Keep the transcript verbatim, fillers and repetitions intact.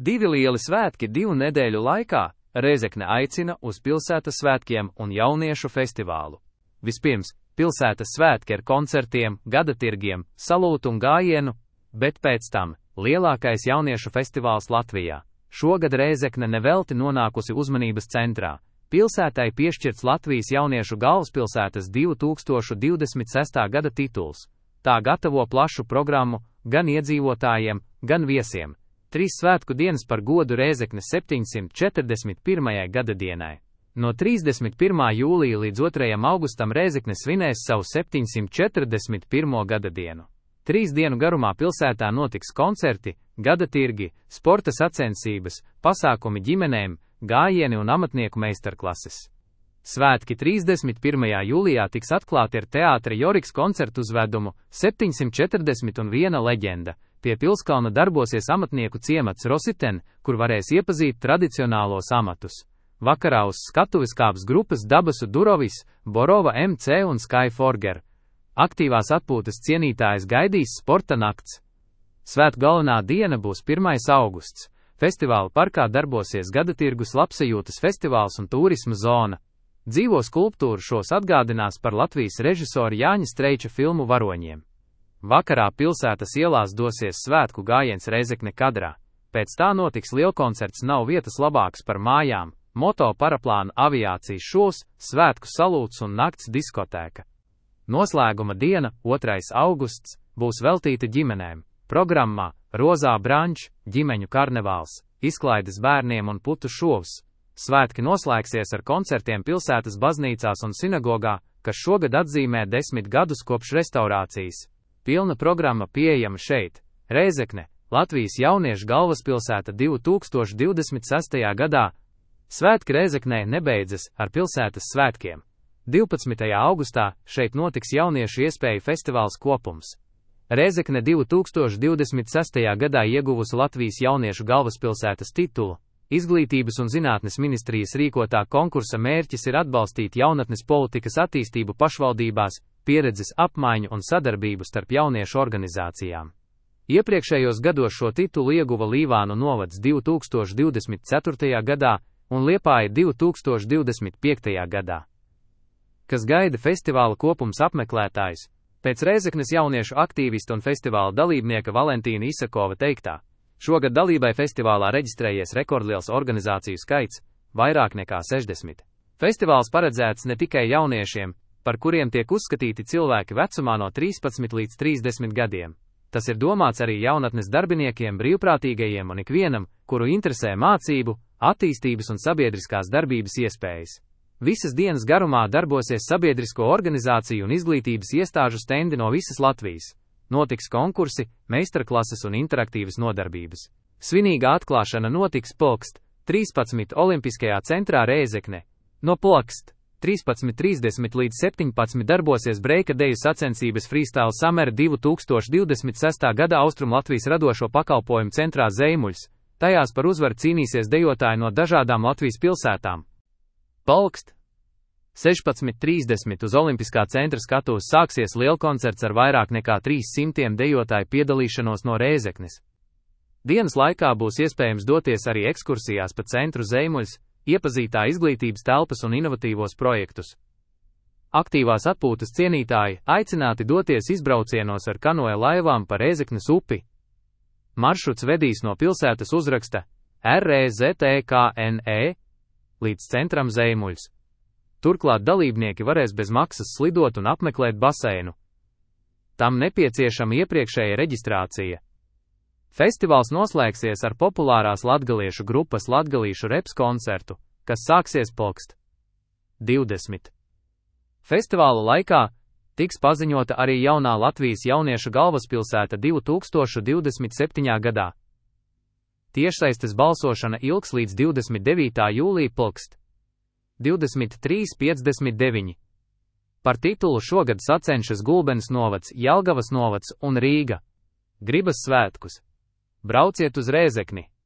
Divi lieli svētki divu nedēļu laikā. Rēzekne aicina uz pilsētas svētkiem un jauniešu festivālu. Vispirms, pilsētas svētki ar koncertiem, gadatirgiem, salūtu un gājienu, bet pēc tam lielākais jauniešu festivāls Latvijā. Šogad Rēzekne nevelti nonākusi uzmanības centrā. Pilsētai piešķirts Latvijas jauniešu galvaspilsētas divi tūkstoši divdesmit sestā gada tituls. Tā gatavo plašu programmu gan iedzīvotājiem, gan viesiem. Trīs svētku dienas par godu Rēzeknes septiņsimt četrdesmit pirmajai gadadienai. No trīsdesmit pirmā jūlija līdz otrajam augustam Rēzekne svinēs savu septiņsimt četrdesmit pirmo gadadienu. Trīs dienu garumā pilsētā notiks koncerti, gadatirgi, sporta sacensības, pasākumi ģimenēm, gājieni un amatnieku meistarklases. Svētki trīsdesmit pirmajā jūlijā tiks atklāti ar teātra Joriks koncertu uzvedumu septiņsimt četrdesmit un viena leģenda. Pie Pilskalna darbosies amatnieku ciemats Rositen, kur varēs iepazīt tradicionālos amatus. Vakarā uz skatuves kāps grupas Dabasu Durovis, Borova M C un Sky Forger. Aktīvās atpūtas cienītājs gaidīs sporta nakts. Svētku galvenā diena būs pirmais augusts. Festivāla parkā darbosies gadatirgus, labsajūtas festivāls un turisma zona. Dzīvo skulptūru šos atgādinās par Latvijas režisora Jāņa Streiča filmu Varoņiem. Vakarā pilsētas ielās dosies svētku gājiens Rēzekne kadrā. Pēc tā notiks lielkoncerts Nav vietas labāks par mājām, moto paraplāna aviācijas šovs, svētku salūts un nakts diskotēka. Noslēguma diena, otrais augusts, būs veltīta ģimenēm. Programmā Rozā brančs, ģimeņu karnevāls, izklaides bērniem un putu šovs. Svētki noslēgsies ar koncertiem pilsētas baznīcās un sinagogā, kas šogad atzīmē desmit gadus kopš restaurācijas. Pilna programma pieejama šeit. Rēzekne, Latvijas jauniešu galvaspilsēta divi tūkstoši divdesmit sestajā gadā. Svētki Rēzeknē nebeidzas ar pilsētas svētkiem. divpadsmitajā augustā šeit notiks jauniešu iespēju festivāls Kopums. Rēzekne divi tūkstoši divdesmit sestajā gadā ieguvusi Latvijas jauniešu galvaspilsētas titulu. Izglītības un zinātnes ministrijas rīkotā konkursa mērķis ir atbalstīt jaunatnes politikas attīstību pašvaldībās, pieredzes apmaiņu un sadarbību starp jauniešu organizācijām. Iepriekšējos gados šo titulu ieguva Līvānu novads divi tūkstoši divdesmit ceturtajā gadā un Liepāja divi tūkstoši divdesmit piektajā gadā. Kas gaida festivāla Kopums apmeklētājus? Pēc Rēzeknes jauniešu aktīvista un festivāla dalībnieka Valentīna Isakova teiktā, šogad dalībai festivālā reģistrējies rekordliels organizāciju skaits – vairāk nekā sešdesmit. Festivāls paredzēts ne tikai jauniešiem, par kuriem tiek uzskatīti cilvēki vecumā no trīspadsmit līdz trīsdesmit gadiem. Tas ir domāts arī jaunatnes darbiniekiem, brīvprātīgajiem un ikvienam, kuru interesē mācību, attīstības un sabiedriskās darbības iespējas. Visas dienas garumā darbosies sabiedrisko organizāciju un izglītības iestāžu stendi no visas Latvijas. Notiks konkursi, meistarklases un interaktīvas nodarbības. Svinīga atklāšana notiks pulkst trīspadsmit Olimpiskajā centrā Rēzekne. No pulkst trīspadsmit trīsdesmit līdz septiņpadsmit darbosies breika deju sacensības Freestyle Summer divi tūkstoši divdesmit sestā gada Austrumlatvijas radošo pakalpojumu centrā Zeimuļs. Tajās par uzvaru cīnīsies dejotāji no dažādām Latvijas pilsētām. Pulkst sešpadsmit trīsdesmit uz Olimpiskā centra skatuves sāksies lielkoncerts ar vairāk nekā trīs simtiem dejotāju piedalīšanos no Rēzeknes. Dienas laikā būs iespējams doties arī ekskursijās pa centru Zeimuļs, iepazītā izglītības telpas un inovatīvos projektus. Aktīvās atpūtas cienītāji aicināti doties izbraucienos ar kanoja laivām pa Rēzeknes upi. Maršruts vedīs no pilsētas uzraksta Rēzekne līdz centram Zeimuļs. Turklāt dalībnieki varēs bez maksas slidot un apmeklēt baseinu. Tam nepieciešama iepriekšēja reģistrācija. Festivāls noslēgsies ar populārās latgaliešu grupas Latgalīšu reps koncertu, kas sāksies pulkst divdesmit. Festivāla laikā tiks paziņota arī jaunā Latvijas jauniešu galvaspilsēta divi tūkstoši divdesmit septītajā gadā. Tiešsaistes balsošana ilgs līdz divdesmit devītā jūlija pulkst divdesmit trīs piecdesmit deviņi. Par titulu šogad sacenšas Gulbenes novads, Jelgavas novads un Rīga. Gribas svētkus? Brauciet uz Rēzekni!